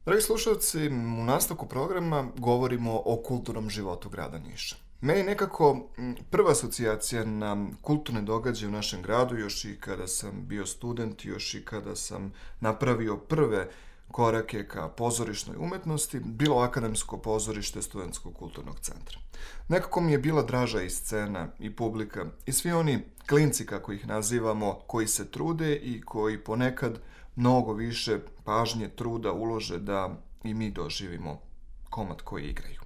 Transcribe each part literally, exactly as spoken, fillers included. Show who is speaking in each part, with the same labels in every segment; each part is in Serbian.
Speaker 1: Dragi slušalci, u nastavku programa govorimo o kulturnom životu grada Niša. Meni nekako prva asocijacija na kulturne događaje u našem gradu, još i kada sam bio student, još i kada sam napravio prve korake ka pozorišnoj umetnosti, bilo Akademsko pozorište Studentskog kulturnog centra. Nekako mi je bila draža i scena, i publika, i svi oni klinci, kako ih nazivamo, koji se trude i koji ponekad mnogo više pažnje, truda ulože da i mi doživimo komad koji igraju.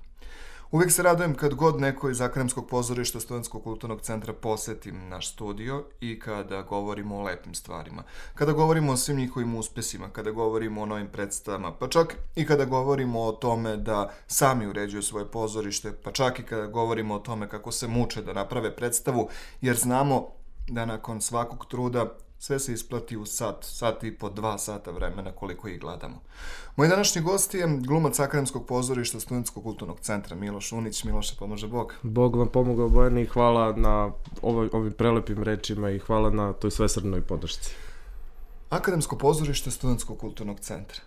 Speaker 1: Uvijek se radujem kad god neko iz Akademskog pozorišta Studentskog kulturnog centra poseti naš studio i kada govorimo o lepim stvarima, kada govorimo o svim njihovim uspesima, kada govorimo o novim predstavama, pa čak i kada govorimo o tome da sami uređuju svoje pozorište, pa čak i kada govorimo o tome kako se muče da naprave predstavu, jer znamo da nakon svakog truda sve se isplati u sat, sat i po dva sata vremena koliko ih gledamo. Moj današnji gost je glumac Akademskog pozorišta Studentskog kulturnog centra Miloš Unić. Miloše, pomože Bog.
Speaker 2: Bog vam pomogao, Bojani, i hvala na ovoj, ovim prelepim rečima i hvala na toj svesrdnoj podršci.
Speaker 1: Akademsko pozorište Studentskog kulturnog centra.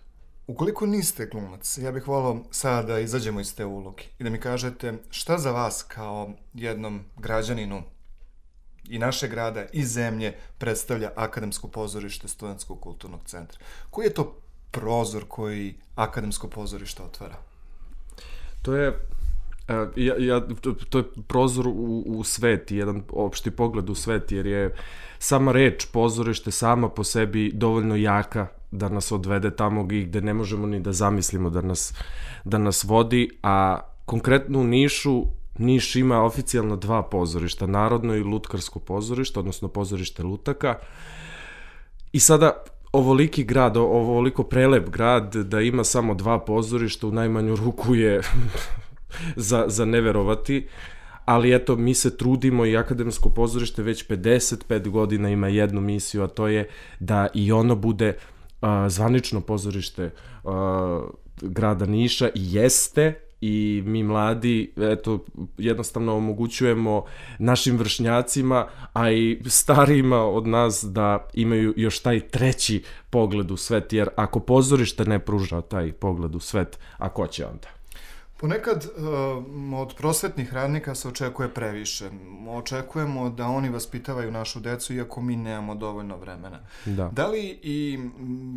Speaker 1: Ukoliko niste glumac, ja bih volao sada da izađemo iz te uloge i da mi kažete šta za vas kao jednom građaninu i naše grada i zemlje predstavlja Akademsko pozorište Studentskog kulturnog centra. Koji je to prozor koji Akademsko pozorište otvara?
Speaker 2: To je, ja, ja, to je prozor u, u svet, jedan opšti pogled u svet, jer je sama reč pozorište sama po sebi dovoljno jaka da nas odvede tamo gde ne možemo ni da zamislimo da nas, da nas vodi, a konkretno u Nišu Niš ima oficijalno dva pozorišta, Narodno i Lutkarsko pozorište, odnosno pozorište lutaka. I sada ovoliki grad, ovoliko prelep grad da ima samo dva pozorišta, u najmanju ruku je za, za neverovati. Ali eto, mi se trudimo i Akademsko pozorište već pedeset pet godina ima jednu misiju, a to je da i ono bude uh, zvanično pozorište uh, grada Niša i jeste. I mi mladi, eto, jednostavno omogućujemo našim vršnjacima, a i starijima od nas da imaju još taj treći pogled u svet, jer ako pozorište ne pruža taj pogled u svet, a ko će onda?
Speaker 1: Ponekad uh, od prosvetnih radnika se očekuje previše. Očekujemo da oni vaspitavaju našu decu, iako mi nemamo dovoljno vremena.
Speaker 2: Da.
Speaker 1: Da li i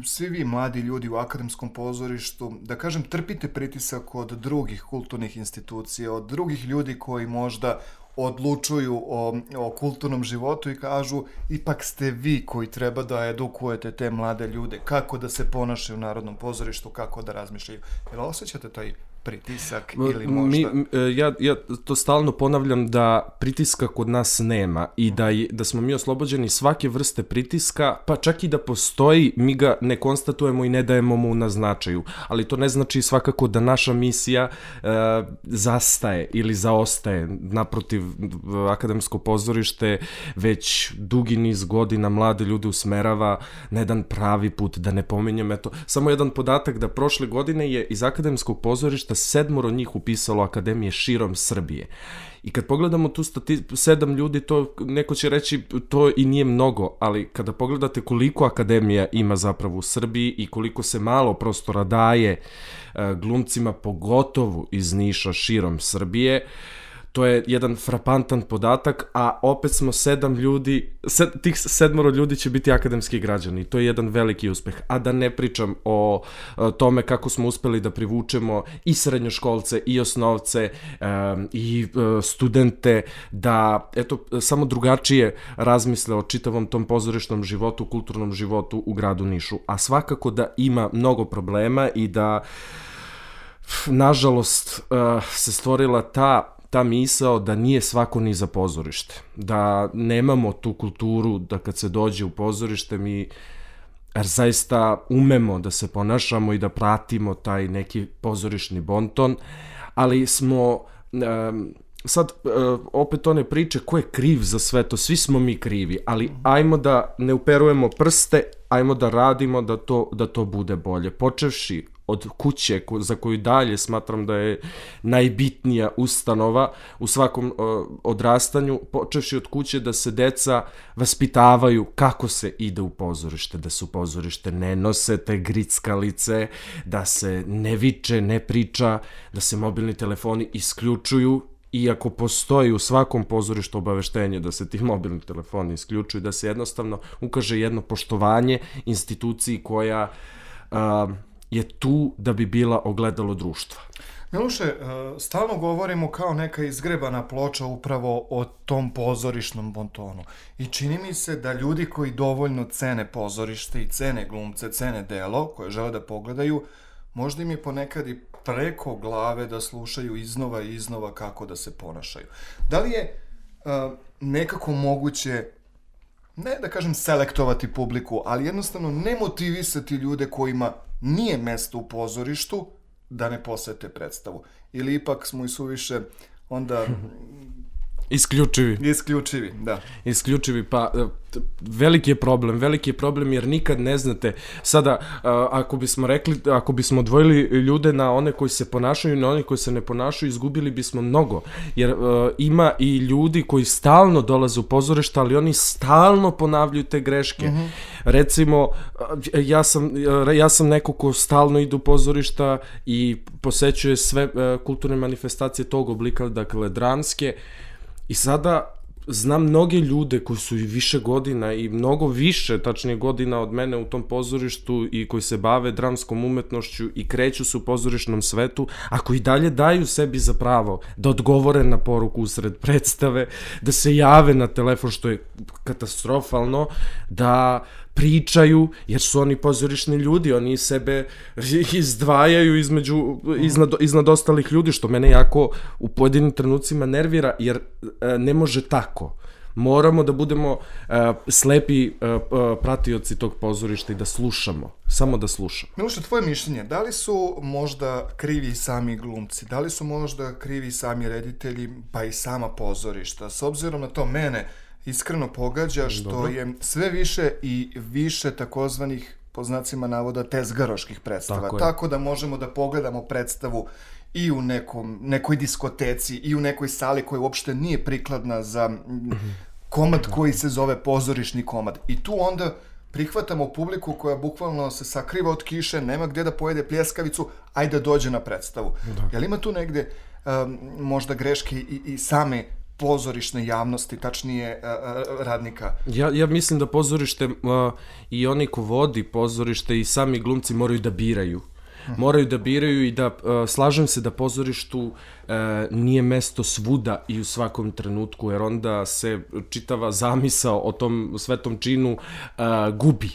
Speaker 1: svi vi mladi ljudi u Akademskom pozorištu, da kažem, trpite pritisak od drugih kulturnih institucija, od drugih ljudi koji možda odlučuju o, o kulturnom životu i kažu ipak ste vi koji treba da edukujete te mlade ljude, kako da se ponašaju u Narodnom pozorištu, kako da razmišljaju. Jel osjećate taj pritisak ili možda?
Speaker 2: Mi, ja, ja to stalno ponavljam da pritiska kod nas nema i da, da smo mi oslobođeni svake vrste pritiska, pa čak i da postoji, mi ga ne konstatujemo i ne dajemo mu na značaju. Ali to ne znači svakako da naša misija e, zastaje ili zaostaje. Naprotiv, Akademsko pozorište već dugi niz godina mlade ljude usmerava na jedan pravi put, da ne pominjem. Eto, samo jedan podatak da prošle godine je iz Akademskog pozorišta sedmoro njih upisalo akademije širom Srbije. I kad pogledamo tu statistiku, sedam ljudi, to neko će reći to i nije mnogo, ali kada pogledate koliko akademija ima zapravo u Srbiji i koliko se malo prostora daje glumcima, pogotovo iz Niša širom Srbije, to je jedan frapantan podatak, a opet smo sedam ljudi, sed, tih sedmoro ljudi će biti akademski građani. To je jedan veliki uspeh. A da ne pričam o, o tome kako smo uspeli da privučemo i srednjoškolce, i osnovce, um, i uh, studente, da eto, samo drugačije razmisle o čitavom tom pozorišnom životu, kulturnom životu u gradu Nišu. A svakako da ima mnogo problema i da, nažalost, uh, se stvorila ta ta misao da nije svako ni za pozorište, da nemamo tu kulturu da kad se dođe u pozorište mi zaista umemo da se ponašamo i da pratimo taj neki pozorišni bonton, ali smo um, sad uh, opet one priče ko je kriv za sve to, svi smo mi krivi, ali ajmo da ne uperujemo prste, ajmo da radimo da to, da to bude bolje, počevši od kuće, za koju dalje smatram da je najbitnija ustanova u svakom uh, odrastanju, počevši od kuće da se deca vaspitavaju kako se ide u pozorište, da se u pozorište ne nose te grickalice, da se ne viče, ne priča, da se mobilni telefoni isključuju, iako postoji u svakom pozorištu obaveštenje da se ti mobilni telefoni isključuju, da se jednostavno ukaže jedno poštovanje instituciji koja uh, je tu da bi bila ogledalo društva.
Speaker 1: Miloše, stalno govorimo kao neka izgrebana ploča upravo o tom pozorišnom bontonu. I čini mi se da ljudi koji dovoljno cene pozorište i cene glumce, cene delo koje žele da pogledaju, možda im je ponekad i preko glave da slušaju iznova i iznova kako da se ponašaju. Da li je uh, nekako moguće, ne da kažem selektovati publiku, ali jednostavno ne motivisati ljude kojima nije mesto u pozorištu da ne posete predstavu? Ili ipak smo i suviše onda...
Speaker 2: Isključivi.
Speaker 1: Isključivi, da.
Speaker 2: Isključivi, pa veliki je problem, veliki je problem jer nikad ne znate, sada ako bismo rekli, ako bismo odvojili ljude na one koji se ponašaju i na one koji se ne ponašaju, izgubili bismo mnogo, jer uh, ima i ljudi koji stalno dolaze u pozorište, ali oni stalno ponavljaju te greške. Mm-hmm. Recimo, ja sam, ja sam neko ko stalno ide u pozorišta i posećuje sve uh, kulturne manifestacije tog oblika, dakle dramske. I sada znam mnoge ljude koji su i više godina i mnogo više, tačnije godina od mene u tom pozorištu i koji se bave dramskom umetnošću i kreću se u pozorišnom svetu, a koji dalje daju sebi za pravo da odgovore na poruku usred predstave, da se jave na telefon, što je katastrofalno, da pričaju, jer su oni pozorišni ljudi, oni sebe izdvajaju između, iznad, iznad ostalih ljudi, što mene jako u pojedinim trenucima nervira, jer e, ne može tako. Moramo da budemo e, slepi e, pratioci tog pozorišta i da slušamo, samo da slušamo.
Speaker 1: Miloše, tvoje mišljenje, da li su možda krivi sami glumci, da li su možda krivi sami reditelji, pa i sama pozorišta? S obzirom na to, mene iskreno pogađa što Dobro. je sve više i više takozvanih, po znacima navoda, tezgaroških predstava. Tako, Tako da možemo da pogledamo predstavu i u nekom, nekoj diskoteci i u nekoj sali koja uopšte nije prikladna za komad koji se zove pozorišni komad. I tu onda prihvatamo publiku koja bukvalno se sakriva od kiše, nema gde da pojede pljeskavicu, ajde da dođe na predstavu. Jel ima tu negde um, možda greške i, i same pozorišne javnosti, tačnije uh, radnika?
Speaker 2: Ja, ja mislim da pozorište uh, i oni ko vodi pozorište i sami glumci moraju da biraju. Moraju da biraju i da, uh, slažem se da pozorištu uh, nije mesto svuda i u svakom trenutku, jer onda se čitava zamisao o tom svetom činu uh, gubi.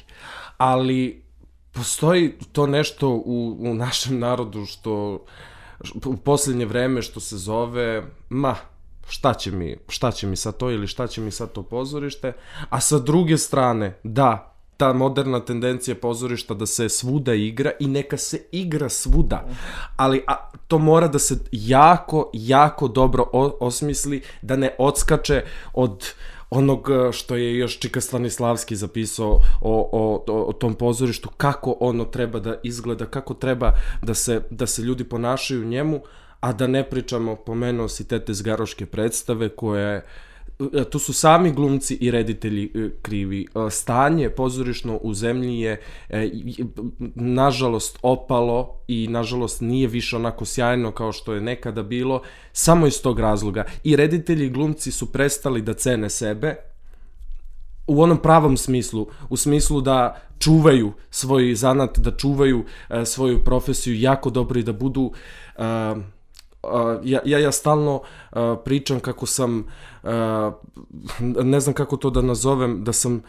Speaker 2: Ali postoji to nešto u, u našem narodu što u posljednje vreme što se zove, ma, šta će mi, šta će mi sad to ili šta će mi sad to pozorište, a sa druge strane, da, ta moderna tendencija pozorišta da se svuda igra i neka se igra svuda, ali a, to mora da se jako, jako dobro o, osmisli, da ne odskače od onog što je još Čika Stanislavski zapisao o, o, o, o tom pozorištu, kako ono treba da izgleda, kako treba da se, da se ljudi ponašaju u njemu, a da ne pričamo, pomenuo si te tezgaroške predstave koje, tu su sami glumci i reditelji krivi. Stanje pozorišno u zemlji je nažalost opalo i nažalost nije više onako sjajno kao što je nekada bilo, samo iz tog razloga. I reditelji i glumci su prestali da cene sebe u onom pravom smislu, u smislu da čuvaju svoj zanat, da čuvaju svoju profesiju jako dobro i da budu... Uh, ja, ja, ja stalno uh, pričam kako sam, uh, ne znam kako to da nazovem, da sam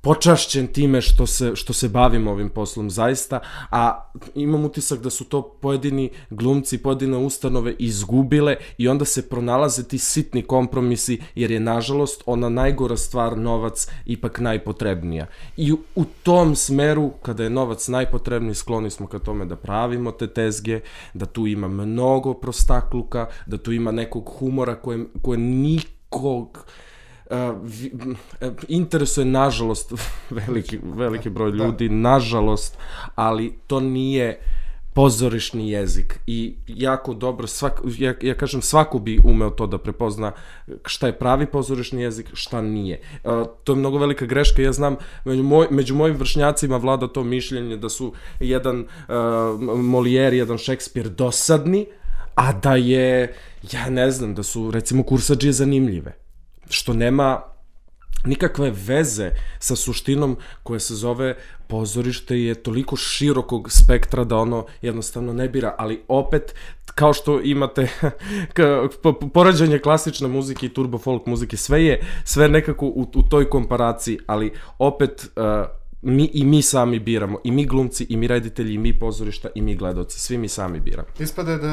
Speaker 2: počašćen time što se, što se bavim ovim poslom zaista, a imam utisak da su to pojedini glumci, pojedine ustanove izgubile i onda se pronalaze ti sitni kompromisi, jer je nažalost ona najgora stvar, novac, ipak najpotrebnija. I u, u tom smeru, kada je novac najpotrebniji, skloni smo ka tome da pravimo te tezge, da tu ima mnogo prostakluka, da tu ima nekog humora koje, koje nikog... Uh, vi, uh, interesuje nažalost veliki, veliki broj ljudi, nažalost, ali to nije pozorišni jezik i jako dobro, svak, ja, ja kažem svako bi umeo to da prepozna šta je pravi pozorišni jezik, šta nije. Uh, to je mnogo velika greška, ja znam, među, moj, među mojim vršnjacima vlada to mišljenje da su jedan uh, Molière, jedan Šekspir dosadni, a da je, ja ne znam, da su recimo kursadžije zanimljive, što nema nikakve veze sa suštinom koja se zove pozorište je toliko širokog spektra da ono jednostavno ne bira, ali opet kao što imate poređenje klasične muzike i turbo folk muzike, sve je sve nekako u, u toj komparaciji, ali opet uh, mi i mi sami biramo, i mi glumci, i mi reditelji, i mi pozorišta, i mi gledaoci, svi mi sami biramo.
Speaker 1: Ispade da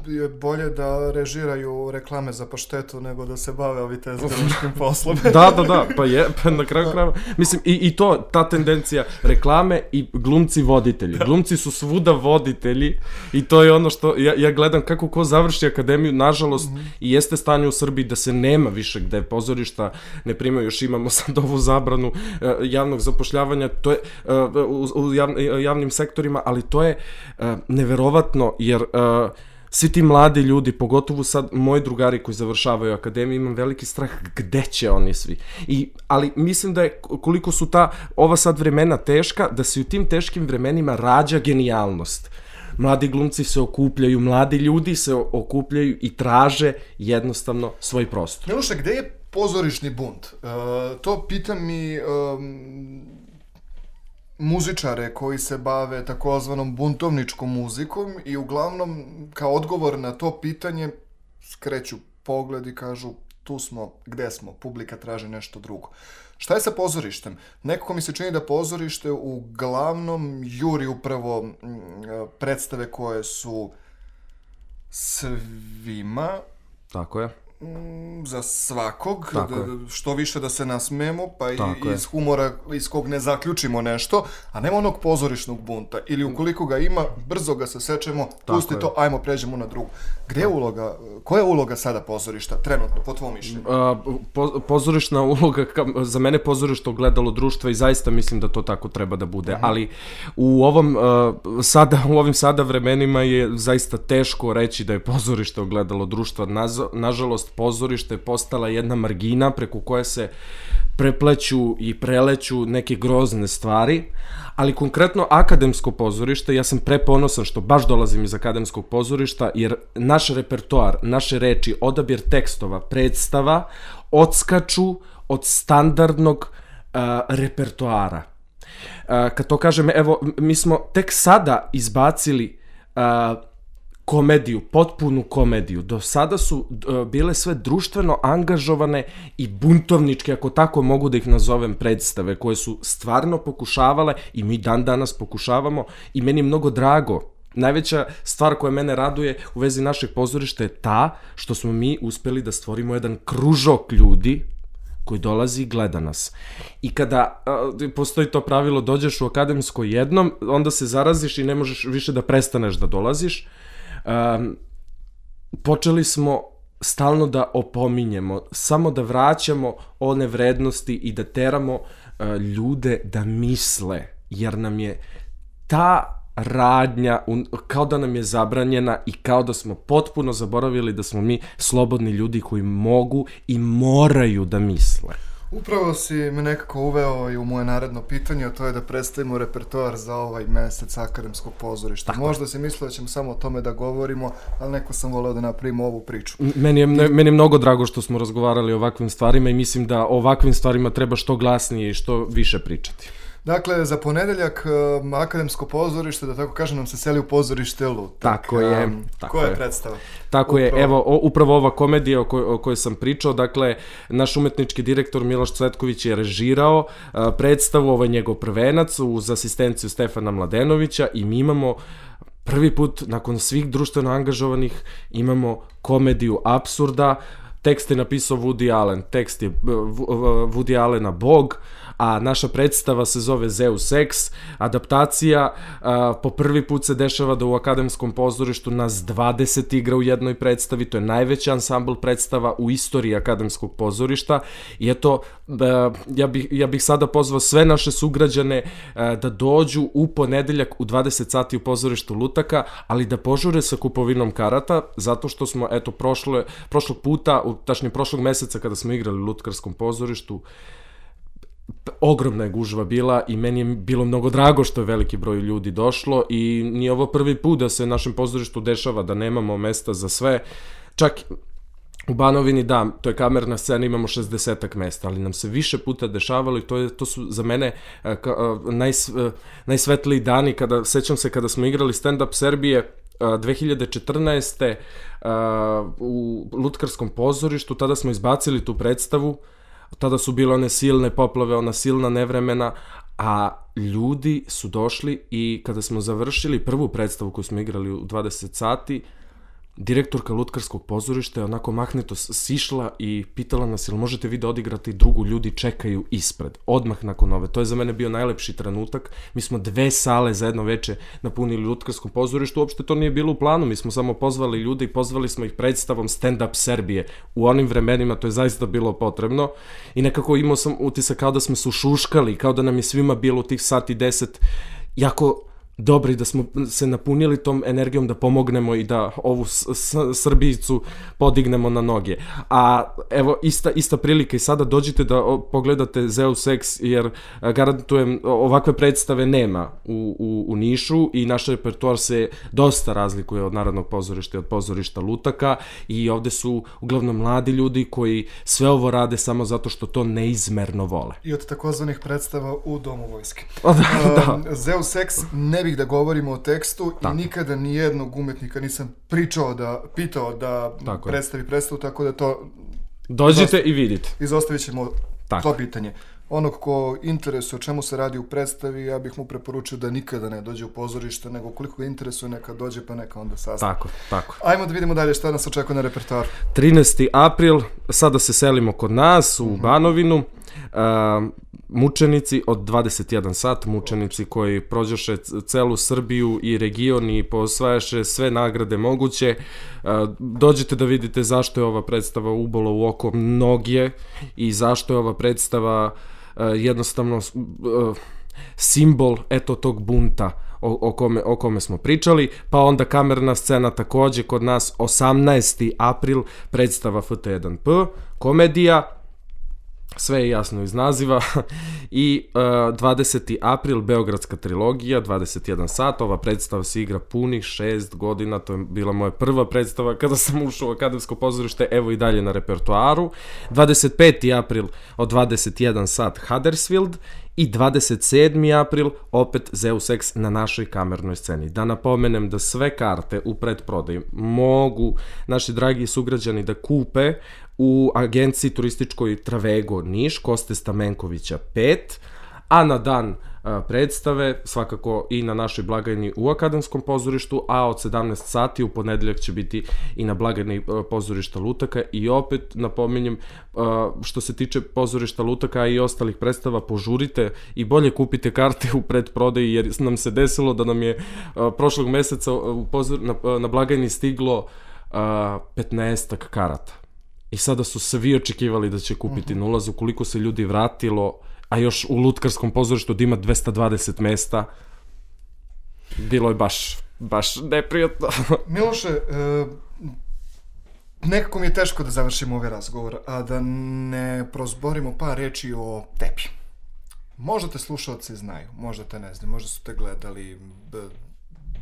Speaker 1: je bolje da režiraju reklame za paštetu nego da se bave ovi tezgaračkim poslom.
Speaker 2: Da, da, da, pa je, pa na kraju krajeva. Mislim, i, i to, ta tendencija reklame i glumci voditelji. Glumci su svuda voditelji i to je ono što, ja, ja gledam kako ko završi akademiju, nažalost, mm-hmm. i jeste stanje u Srbiji da se nema više gde pozorišta ne primaju, još imamo sad ovu zabranu uh, javnog zapošljavanja, to je uh, u, u jav, javnim sektorima, ali to je uh, neverovatno, jer uh, svi ti mladi ljudi, pogotovo sad moji drugari koji završavaju akademiju, imam veliki strah gde će oni svi. I, ali mislim da je koliko su ta, ova sad vremena teška, da se u tim teškim vremenima rađa genijalnost. Mladi glumci se okupljaju, mladi ljudi se okupljaju i traže jednostavno svoj prostor.
Speaker 1: Miloše, gde je pozorišni bunt? Uh, to pitam i um, muzičare koji se bave takozvanom buntovničkom muzikom i uglavnom kao odgovor na to pitanje skreću pogled i kažu tu smo, gde smo, publika traži nešto drugo. Šta je sa pozorištem? Nekako mi se čini da pozorište uglavnom juri upravo m, predstave koje su svima.
Speaker 2: Tako je.
Speaker 1: Za svakog,
Speaker 2: da,
Speaker 1: što više da se nasmemo, pa i iz humora iz kog ne zaključimo nešto, a nema onog pozorišnog bunta. Ili ukoliko ga ima, brzo ga se sečemo, pusti to, ajmo, pređemo na drugu. Gde je uloga, koja je uloga sada pozorišta, trenutno, po tvom mišljenju?
Speaker 2: Po, pozorišna uloga, za mene pozorište ogledalo društva i zaista mislim da to tako treba da bude, Aha. ali u ovom sada, u ovim sada vremenima je zaista teško reći da je pozorište ogledalo društva. Nažalost, pozorište je postala jedna margina preko koje se prepleću i preleću neke grozne stvari, ali konkretno akademsko pozorište, ja sam preponosan što baš dolazim iz akademskog pozorišta, jer naš repertoar, naše reči, odabir tekstova, predstava, odskaču od standardnog uh, repertoara. Uh, kad to kažem, evo, mi smo tek sada izbacili uh, komediju, potpunu komediju. Do sada su uh, bile sve društveno angažovane i buntovničke, ako tako mogu da ih nazovem, predstave, koje su stvarno pokušavale i mi dan danas pokušavamo i meni je mnogo drago. Najveća stvar koja mene raduje u vezi našeg pozorišta je ta što smo mi uspeli da stvorimo jedan kružok ljudi koji dolazi i gleda nas. I kada uh, postoji to pravilo, dođeš u akademsko jednom, onda se zaraziš i ne možeš više da prestaneš da dolaziš. Um, počeli smo stalno da opominjemo, samo da vraćamo one vrednosti i da teramo uh, ljude da misle, jer nam je ta radnja un, kao da nam je zabranjena i kao da smo potpuno zaboravili da smo mi slobodni ljudi koji mogu i moraju da misle.
Speaker 1: Upravo si me nekako uveo i u moje naredno pitanje, a to je da predstavimo repertoar za ovaj mesec akademskog pozorišta. Tako. Možda si mislio da ćemo samo o tome da govorimo, ali neko sam voleo da napravimo ovu priču.
Speaker 2: Meni je, ne, meni je mnogo drago što smo razgovarali o ovakvim stvarima i mislim da o ovakvim stvarima treba što glasnije i što više pričati.
Speaker 1: Dakle, za ponedeljak um, akademsko pozorište, da tako kažem, nam se seli u pozorište Lutak.
Speaker 2: Tako je. Um, tako
Speaker 1: koja je
Speaker 2: je
Speaker 1: predstava?
Speaker 2: Tako upravo. je, evo, o, upravo ova komedija o, koj, o kojoj sam pričao, dakle, naš umetnički direktor Miloš Cvetković je režirao uh, predstavu, ovaj njegov prvenac, uz asistenciju Stefana Mladenovića i mi imamo prvi put, nakon svih društveno angažovanih, imamo komediju apsurda. Tekst je napisao Woody Allen, tekst je Woody Allena Bog, a naša predstava se zove Zeus X, adaptacija, a, po prvi put se dešava da u Akademskom pozorištu nas dvadeset igra u jednoj predstavi, to je najveći ansambl predstava u istoriji Akademskog pozorišta i eto, a, ja, bih, ja bih sada pozvao sve naše sugrađane a, da dođu u ponedeljak u dvadeset sati u pozorištu Lutaka, ali da požure sa kupovinom karata, zato što smo, eto, prošle, prošlog puta, u, tačnije prošlog meseca kada smo igrali u Lutkarskom pozorištu, ogromna je gužva bila i meni je bilo mnogo drago što je veliki broj ljudi došlo i nije ovo prvi put da se našem pozorištu dešava da nemamo mesta za sve. Čak u Banovini, da, to je kamerna scena, imamo šezdesetak mesta, ali nam se više puta dešavalo i to, je, to su za mene uh, ka, uh, najs, uh, najsvetliji dani. Kada, sećam se kada smo igrali stand-up Serbije uh, dve hiljade četrnaeste. Uh, u Lutkarskom pozorištu, tada smo izbacili tu predstavu, tada su bile one silne poplave, ona silna nevremena, a ljudi su došli i kada smo završili prvu predstavu koju smo igrali u dvadeset sati, direktorka Lutkarskog pozorišta je onako mahnito sišla i pitala nas jel možete vi da odigrate i drugu, ljudi čekaju ispred, odmah nakon ove. To je za mene bio najlepši trenutak. Mi smo dve sale za jedno veče napunili u Lutkarskom pozorištu, uopšte to nije bilo u planu, mi smo samo pozvali ljude i pozvali smo ih predstavom Stand Up Serbije. U onim vremenima to je zaista bilo potrebno i nekako imao sam utisak kao da smo se ušuškali, kao da nam je svima bilo u tih sati deset jako dobri, da smo se napunili tom energijom da pomognemo i da ovu s- s- Srbijicu podignemo na noge. A evo, ista, ista prilika i sada dođite da o, pogledate Zeus X, jer a, garantujem ovakve predstave nema u, u, u Nišu i naš repertoar se dosta razlikuje od Narodnog pozorišta i od pozorišta Lutaka i ovde su uglavnom mladi ljudi koji sve ovo rade samo zato što to neizmerno vole.
Speaker 1: I od takozvanih predstava u Domu vojske.
Speaker 2: O, da, da.
Speaker 1: Um, Zeus X, ne bih da govorimo o tekstu
Speaker 2: tako.
Speaker 1: I nikada ni jednog umetnika nisam pričao da, pitao da
Speaker 2: tako
Speaker 1: predstavi je. predstavu, tako da to...
Speaker 2: Dođite
Speaker 1: izostav...
Speaker 2: i vidite.
Speaker 1: Izostavit ćemo
Speaker 2: tako.
Speaker 1: to pitanje. Onog ko interesuje o čemu se radi u predstavi, ja bih mu preporučio da nikada ne dođe u pozorište, nego koliko ga interesuje neka dođe pa neka onda sazna.
Speaker 2: Tako, tako.
Speaker 1: Ajmo da vidimo dalje šta nas očekuje na repertoaru.
Speaker 2: trinaesti april, sada se selimo kod nas u Banovinu. Uh, mučenici od dvadeset jedan sat, mučenici koji prođoše celu Srbiju i region i posvajaše sve nagrade moguće. Uh, dođite da vidite zašto je ova predstava ubola u oko mnogije i zašto je ova predstava uh, jednostavno uh, simbol eto tog bunta o, o, kome, o kome smo pričali, pa onda kamerna scena takođe kod nas osamnaesti april, predstava F T jedan P, komedija, sve je jasno iz naziva i uh, dvadeseti april, Beogradska trilogija, dvadeset jedan sat, ova predstava se igra punih šest godina, to je bila moja prva predstava kada sam ušao u Akademsko pozorište, evo i dalje na repertoaru. dvadeset peti april od dvadeset jedan sat, Huddersfield i dvadeset sedmi april opet Zeus X na našoj kamernoj sceni. Da napomenem da sve karte u predprodaji mogu naši dragi sugrađani da kupe u agenciji turističkoj Travego Niš, Koste Stamenkovića pet, a na dan a, predstave svakako i na našoj blagajni u Akademskom pozorištu, a od sedamnaest sati u ponedeljak će biti i na blagajni a, pozorišta Lutaka i opet napominjem a, što se tiče pozorišta Lutaka i ostalih predstava, požurite i bolje kupite karte u predprodaji jer nam se desilo da nam je a, prošlog meseca u pozor, na, na blagajni stiglo a, petnaestak karata. I sada su svi očekivali da će kupiti na ulazu, koliko se ljudi vratilo, a još u Lutkarskom pozorištu da ima dvesta dvadeset mesta, bilo je baš, baš neprijatno.
Speaker 1: Miloše, e, nekako mi je teško da završimo ovaj razgovor, a da ne prozborimo par reči o tebi. Možda te slušalci znaju, možda te ne znaju, možda su te gledali b,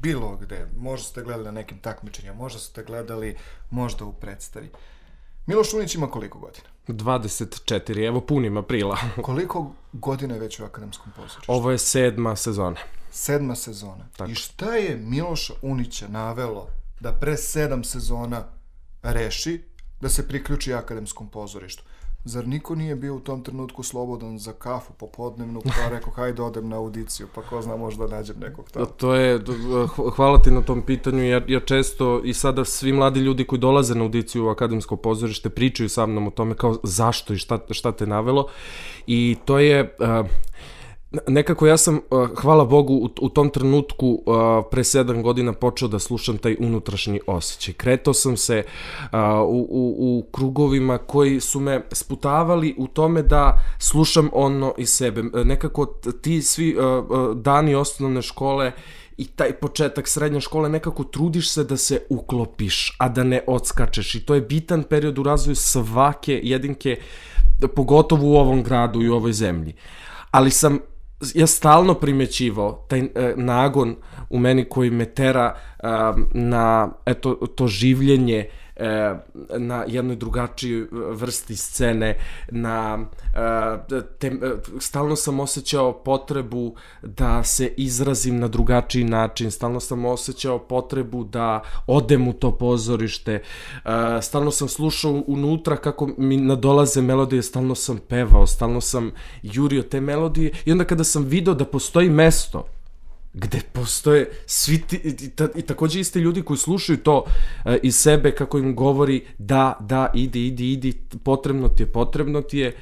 Speaker 1: bilo gde, možda su te gledali na nekim takmičenjima, možda su te gledali možda u predstavi. Miloš Unić ima koliko godina?
Speaker 2: dvadeset četiri, evo punim aprila.
Speaker 1: Koliko godina je već u Akademskom pozorištu?
Speaker 2: Ovo je sedma sezona.
Speaker 1: Sedma sezona.
Speaker 2: Tako.
Speaker 1: I šta je Miloša Unića navelo da pre sedam sezona reši da se priključi Akademskom pozorištu? Zar niko nije bio u tom trenutku slobodan za kafu popodnevnu, pa rekao, hajde odem na audiciju, pa ko zna, možda nađem nekog tamo.
Speaker 2: To je, hvala ti na tom pitanju, jer ja često i sada svi mladi ljudi koji dolaze na audiciju u Akademsko pozorište pričaju sa mnom o tome kao zašto i šta, šta te navelo. I to je... Uh, Nekako ja sam, hvala Bogu, u, u tom trenutku pre sedam godina počeo da slušam taj unutrašnji osjećaj. Kretao sam se u, u, u krugovima koji su me sputavali u tome da slušam ono iz sebe. Nekako ti svi dani osnovne škole i taj početak srednje škole, nekako trudiš se da se uklopiš, a da ne odskačeš. I to je bitan period u razvoju svake jedinke, pogotovo u ovom gradu i u ovoj zemlji. Ali sam ja stalno primećivao taj e, nagon u meni koji me tera e, na eto, to življenje e, na jednoj drugačijoj vrsti scene, na e, te, e, stalno sam osjećao potrebu da se izrazim na drugačiji način, stalno sam osjećao potrebu da odem u to pozorište, e, stalno sam slušao unutra kako mi nadolaze melodije, stalno sam pevao, stalno sam jurio te melodije i onda kada sam video da postoji mesto gde postoje svi ti, i, ta, i takođe isti ljudi koji slušaju to e, iz sebe, kako im govori da, da, idi, idi, idi, potrebno ti je, potrebno ti je,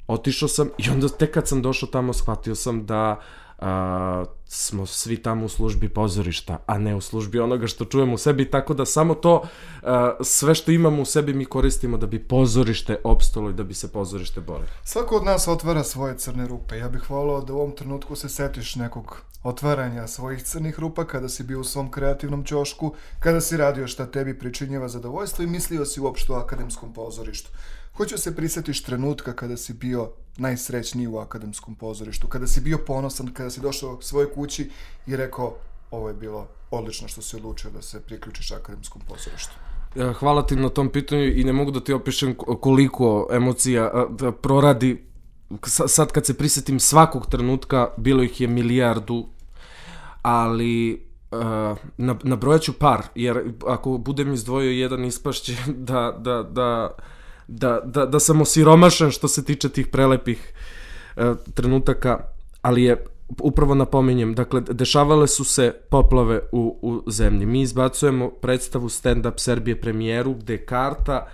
Speaker 2: otišao sam i onda tek kad sam došao tamo shvatio sam da a, smo svi tamo u službi pozorišta, a ne u službi onoga što čujemo u sebi, tako da samo to, a, sve što imamo u sebi mi koristimo da bi pozorište opstalo i da bi se pozorište borilo.
Speaker 1: Svako od nas otvara svoje crne rupe. Ja bih volao da u ovom trenutku se setiš nekog otvaranja svojih crnih rupa kada si bio u svom kreativnom ćošku, kada si radio šta tebi pričinjava zadovoljstvo i mislio si uopšte o Akademskom pozorištu. Hoću se prisjetiš trenutka kada si bio najsrećniji u Akademskom pozorištu, kada si bio ponosan, kada si došao svojoj kući i rekao ovo je bilo odlično što si odlučio da se priključiš Akademskom pozorištu.
Speaker 2: Hvala ti na tom pitanju i ne mogu da ti opišem koliko emocija proradi. Sad kad se prisjetim svakog trenutka, bilo ih je milijardu, ali nabrojat ću par, jer ako budem izdvojio jedan ispašće da, da, da, da, da, da sam osiromašen što se tiče tih prelepih trenutaka, ali je upravo napominjem, dakle, dešavale su se poplave u, u zemlji. Mi izbacujemo predstavu Stand Up Serbije premijeru, gde je karta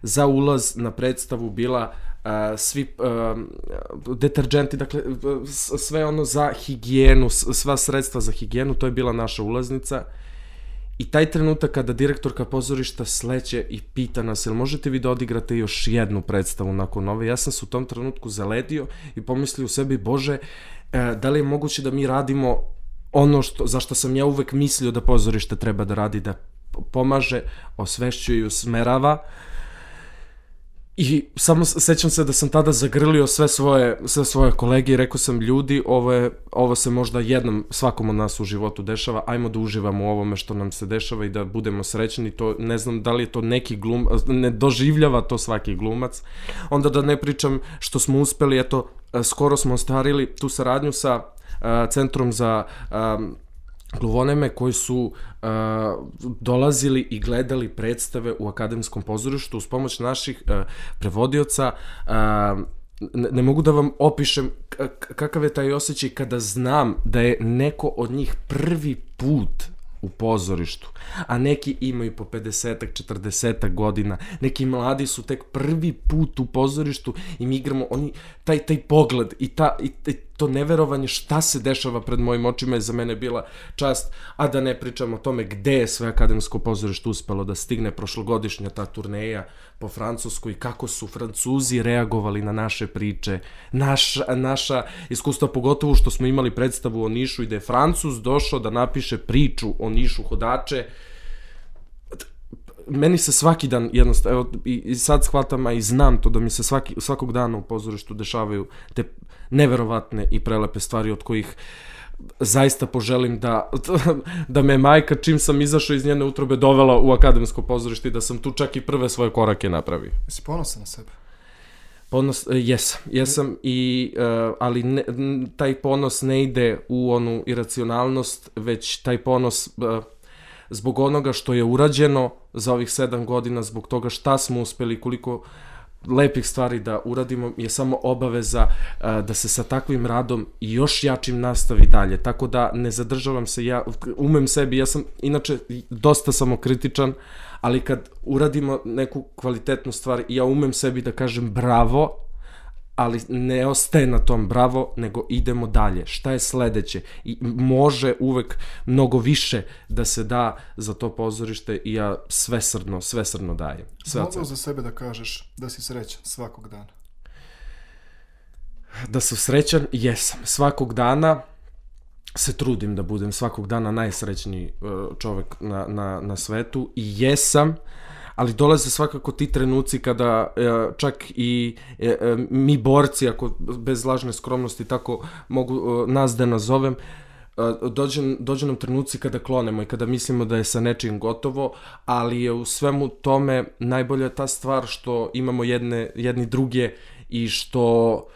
Speaker 2: za ulaz na predstavu bila uh, svi uh, deterđenti, dakle, sve ono za higijenu, sva sredstva za higijenu, to je bila naša ulaznica. I taj trenutak kada direktorka pozorišta sleće i pita nas, jel možete vi da odigrate još jednu predstavu nakon ove? Ja sam se u tom trenutku zaledio i pomislio u sebi, Bože, da li je moguće da mi radimo ono što, za što sam ja uvek mislio da pozorište treba da radi, da pomaže, osvešćuje i usmerava. I samo sećam se da sam tada zagrlio sve svoje, sve svoje kolege i rekao sam, ljudi, ovo, je, ovo se možda jednom svakom od nas u životu dešava, ajmo da uživamo u ovome što nam se dešava i da budemo srećni. To, ne znam da li je to neki glum, ne doživljava to svaki glumac. Onda da ne pričam što smo uspeli, eto, skoro smo ostvarili tu saradnju sa uh, Centrom za um, gluvoneme koji su uh, dolazili i gledali predstave u Akademskom pozorištu uz pomoć naših uh, prevodioca. Uh, ne, ne mogu da vam opišem kakav je taj osjećaj kada znam da je neko od njih prvi put u pozorištu, a neki imaju po pedesetak, četrdesetak godina, neki mladi su tek prvi put u pozorištu i mi igramo, oni, taj, taj pogled i, ta, i, i to neverovanje šta se dešava pred mojim očima je za mene bila čast, a da ne pričam o tome gde je sve Akademsko pozorište uspelo da stigne prošlogodišnja ta turneja po Francuskoj i kako su Francuzi reagovali na naše priče, naša, naša iskustva, pogotovo što smo imali predstavu o Nišu i da je Francuz došao da napiše priču o Nišu Hodače. Meni se svaki dan jednostavno, evo, i, i sad shvatam, a i znam to da mi se svaki, svakog dana u pozorištu dešavaju te neverovatne i prelepe stvari od kojih zaista poželim da, da me majka čim sam izašao iz njene utrobe dovela u Akademsko pozorište i da sam tu čak i prve svoje korake napravio.
Speaker 1: Jesi ponosan na sebe?
Speaker 2: Ponos, jesam, jesam, i, uh, ali ne, taj ponos ne ide u onu iracionalnost, već taj ponos uh, zbog onoga što je urađeno za ovih sedam godina, zbog toga šta smo uspeli, koliko lepih stvari da uradimo je samo obaveza uh, da se sa takvim radom i još jačim nastavi dalje. Tako da ne zadržavam se, ja umem sebi, ja sam inače dosta samokritičan, ali kad uradimo neku kvalitetnu stvar, ja umem sebi da kažem bravo, ali ne ostaje na tom bravo, nego idemo dalje. Šta je sledeće? I može uvek mnogo više da se da za to pozorište i ja svesrdno, svesrdno dajem. Sve
Speaker 1: Mogu za sebe da kažeš da si srećan svakog dana?
Speaker 2: Da sam srećan, jesam. Svakog dana se trudim da budem svakog dana najsrećniji čovek na, na, na svetu i jesam, ali dolaze svakako ti trenuci kada čak i mi borci, ako bez lažne skromnosti tako mogu nas da nazovem, dođe, dođe nam trenuci kada klonemo i kada mislimo da je sa nečim gotovo, ali je u svemu tome najbolja ta stvar što imamo jedne, jedni druge i što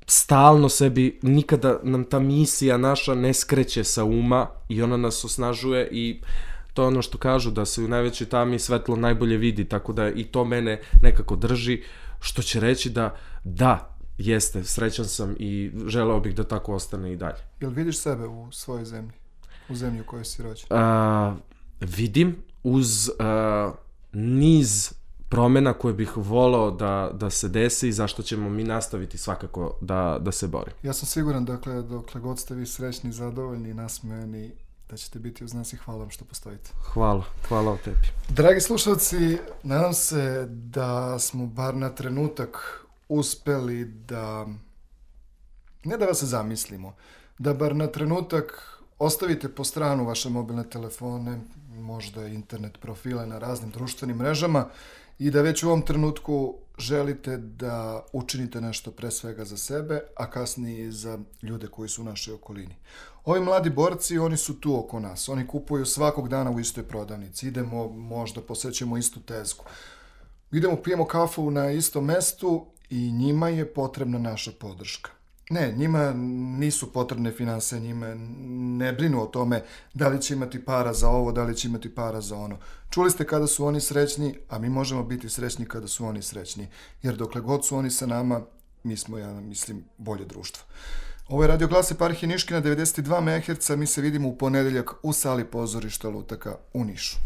Speaker 2: stalno sebi, nikada nam ta misija naša ne skreće sa uma i ona nas osnažuje i to je ono što kažu, da se u najvećoj tami svetlo najbolje vidi, tako da i to mene nekako drži, što će reći da da, jeste, srećan sam i želeo bih da tako ostane i dalje.
Speaker 1: Jel vidiš sebe u svojoj zemlji, u zemlji u kojoj si rođen?
Speaker 2: A, vidim, uz a, niz promjena koje bih volao da, da se desi i zašto ćemo mi nastaviti svakako da, da se borimo.
Speaker 1: Ja sam siguran, dakle, dokle god ste vi srećni, zadovoljni, nasmejani, da ćete biti uz nas i hvala vam što postojite.
Speaker 2: Hvala, hvala o tebi.
Speaker 1: Dragi slušalci, nadam se da smo bar na trenutak uspeli da, ne da vas zamislimo, da bar na trenutak ostavite po stranu vaše mobilne telefone, možda internet profile na raznim društvenim mrežama i da već u ovom trenutku želite da učinite nešto pre svega za sebe, a kasnije i za ljude koji su u našoj okolini. Ovi mladi borci, oni su tu oko nas. Oni kupuju svakog dana u istoj prodavnici. Idemo, možda posećemo istu tezgu. Idemo, pijemo kafu na istom mestu i njima je potrebna naša podrška. Ne, njima nisu potrebne finanse, njima ne brinu o tome da li će imati para za ovo, da li će imati para za ono. Čuli ste kada su oni srećni, a mi možemo biti srećni kada su oni srećni. Jer dokle god su oni sa nama, mi smo, ja mislim, bolje društvo. Ovo je Radio Glas Eparhije Niške na devedeset dva megaherca. Mi se vidimo u ponedeljak u sali pozorišta Lutaka u Nišu.